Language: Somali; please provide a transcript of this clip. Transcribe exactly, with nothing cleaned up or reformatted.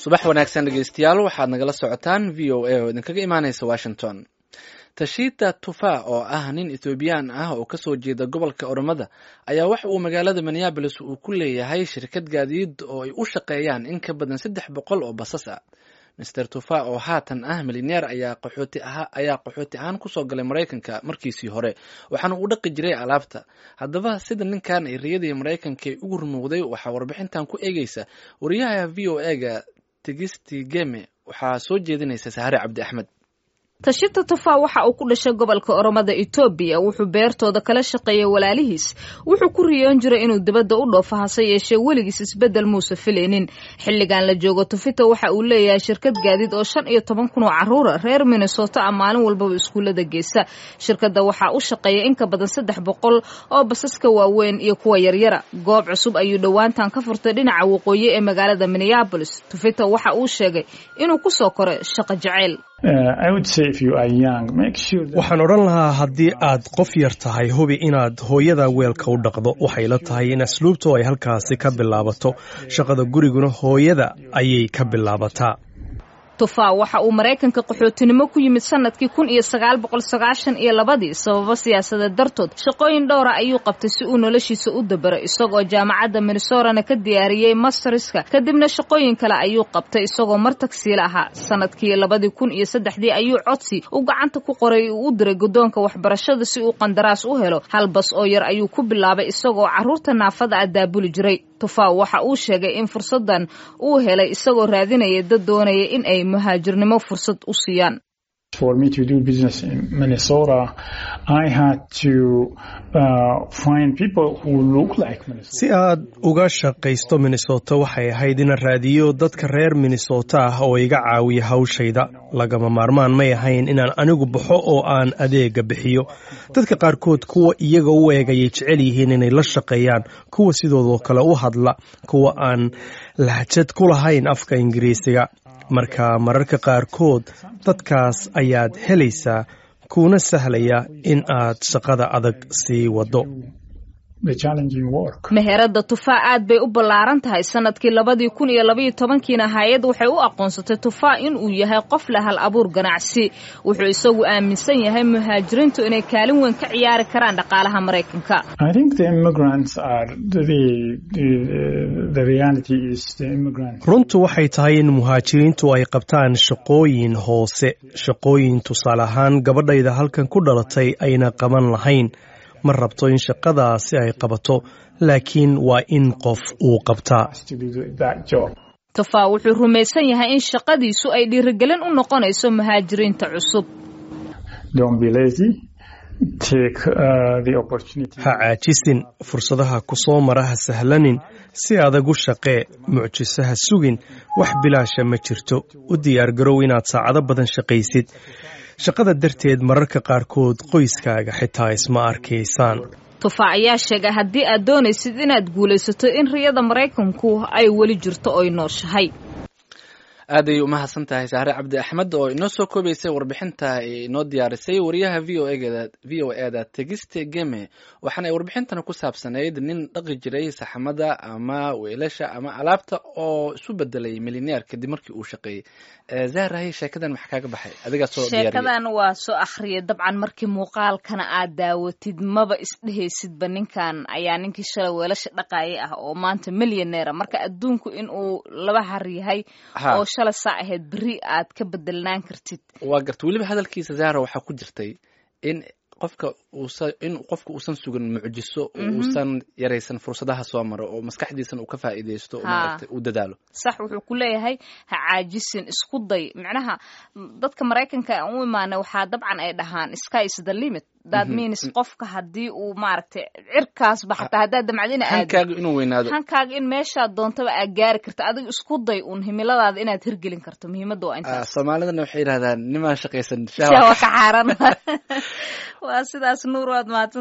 Subax wanaagsan, dhegeystayaal. Waxaad nagala socotaan V O A oo idinkaga imaaneysa Washington. Tashita Tufa oo ah nin Ethoobiyan ah oo kasoo jeeda gobolka Oromada ayaa waxa uu magaalada Minneapolis uu ku leeyahay shirkad gaadiid oo ay u shaqeeyaan in ka badan saddex boqol oo basas ah. Mister Tufa oo haatan ah milyaneer ayaa qaxooti ahaa ayaa qaxooti ahaan kusoo galay Maraykanka markiisii hore, waxaana uu dhaqi jiray alaabta. Haddaba, sida ninkan ay riyadii Maraykanka ay ugu rumowday waxaa warbixintan ku eegeysa wariyaha V O A-ga Tigisti Geme. Waxaa soo jeedinaysa Sahare Cabdi Axmed. Tashita Tufa waxa uu ku dhashay gobolka Oromada Etoobiya. Wuxuu beertooda kala shaqeeyay walaalihiis. Wuxuu ku riyoon jiray inuu dibadda u dhoofo, hase yeeshee weligiis isbeddel muuse filaynin. Xilligan la joogo, Tufita waxa uu leeyahay shirkad gaadiid oo shan iyo toban kun oo carruura reer Minnesota ah maalin walbaba iskuullada geysa. Shirkadda waxaa u shaqeeya in ka badan saddex boqol oo basaska waaweyn iyo kuwa yaryara. Goob cusub ayuu dhowaantan ka furtay dhinaca waqooyi ee magaalada Minneapolis. Tufita waxa uu sheegay inuu kusoo koray shaqo jaceyl. Waxaan odhan lahaa, haddii aad qof yar tahay, hubi inaad hooyada weelka u dhaqdo. Waxay la tahay in asluubtu ay halkaasi ka bilaabato. Shaqada guriguna hooyada ayay ka bilaabataa. Tufa waxa uu Maraykanka qaxootinimo ku yimid sanadkii kun iyo sagaal boqol sagaashan iyo labadii sababo siyaasadeed dartood. Shaqooyin dhowra ayuu qabtay si uu noloshiisa u dabaro, isagoo jaamacadda Minnesorana ka diyaariyey masterska. Kadibna shaqooyin kale ayuu qabtay, isagoo mar tagsiila ahaa. Sanadkii labadii kun iyo saddexdii ayuu codsi uu gacanta ku qoray uu u diray guddoonka waxbarashada si uu qandaraas u helo. Hal bas oo yar ayuu ku bilaabay, isagoo carruurta naafada ah daabuli jiray. Tufa waxa uu sheegay in fursaddan uu helay isagoo raadinaya dad doonaya in ay muhaajirnimo fursad u siiyaan. For me to do business in Minnesota, I had to uh, find people who look like Minnesota. Si aad uga shaqaysto Minnesota, waxay ahayd inaan raadiyo dadka reer Minnesota ah oo iga caawiya hawshayda. Lagama maarmaan may ahayn inaan anigu baxo oo aan adeega bixiyo. Dadka qaarkood kuwa iyaga u eeg ayay jecel yihiin inay la shaqeeyaan, kuwa sidoodoo kale u hadla, kuwa aan lahjad ku lahayn afka Ingiriisiga. Marka mararka qaarkood dadkaas ayaad helaysaa, kuuna sahlaya in aad shaqada adag sii waddo. Meherada Tufaa aad bay u ballaaran tahay. Sanadkii labadii kun iyo labaiyo tobankiina hay'ad waxay u aqoonsatay Tufaa in uu yahay qof leh hal abuur ganacsi. Wuxuu isagu aaminsan yahay muhaajiriintu inay kaalin weyn ka ciyaari karaan dhaqaalaha Maraykanka. I think the immigrants are the, the, the reality is the immigrants. Runtu waxay tahay in muhaajiriintu ay qabtaan shaqooyin hoose, shaqooyin tusaale ahaan gabadhayda halkan ku dhalatay ayna qaban lahayn. Ma rabto in shaqadaasi ay qabato, laakiin waa in qof uu qabtaa. To do that job. Tufaa wuxuu rumaysan yahay in shaqadiisu ay dhiirigelin u noqonayso muhaajiriinta cusub. Don't be lazy. Take uh, the opportunity. Ha caajisin, fursadaha ku soo mara ha sahlanin. Si adag u shaqee, mucjiso ha sugin. Wax bilaasha ma jirto. U diyaargarow inaad saacado badan shaqaysid. Shaqada darteed mararka qaarkood qoyskaaga xitaa isma arkaysaan. Tufa ayaa sheegay haddii aad doonaysid inaad guulaysato in riyada Maraykanku ay weli jirto oy nooshahay. Aad ayay umahadsan tahay Sahre Cabdi Axmed oo inoo soo koobaysay warbixinta ay inoo diyaarisay wariyaha v o eda V O E da Tegiste Geme. Waxaana ay warbixintan ku saabsanayd nin dhaqi jiray saxamada ama weelasha ama alaabta oo isu bedelay milyaneer kadib markii uu shaqeeyey. Zahrahay, sheekadan maxaa kaaga baxay adigaa soo diyaariyay? Sheekadan waa soo akhriyay dabcan. Markii muuqaalkana aad daawatid, maba isdhehaysidba ninkan ayaa ninkii shalay weelasha dhaqaayay ah oo maanta milyaneera. Marka adduunku in uu laba har yahay oo shalay saa ahayd berri aad ka bedelnaan kartid. Waa garta. Weliba hadalkiisa, Zahra, waxaa ku jirtay in qofka uusa in qofka uusan sugin mucjiso oo uusan yaraysan fursadaha soo maro oo maskaxdiisana uu ka faa'iidaysto oo maaragtay uu dadaalo. Sax, wuxuu ku leeyahay ha caajisin, isku day. Macnaha dadka Maraykanka aan u imaanay waxaa dabcan ay dhahaan "sky is the limit". That means qofka haddii uu maaragtay cirkaasba xataa haddaad damcad ina aado, hankaaga inuu weynaado, hankaaga in meeshaad doontaba aad gaari karto. Adiga isku day uun himiladaada inaad hirgelin karto. Muhiimadda waa intaas. Soomaalidana waxay yidhahdaan nimaan shaqaysan shawa ka xaaran. Waa sidaas, Nuur, waad mahadsan.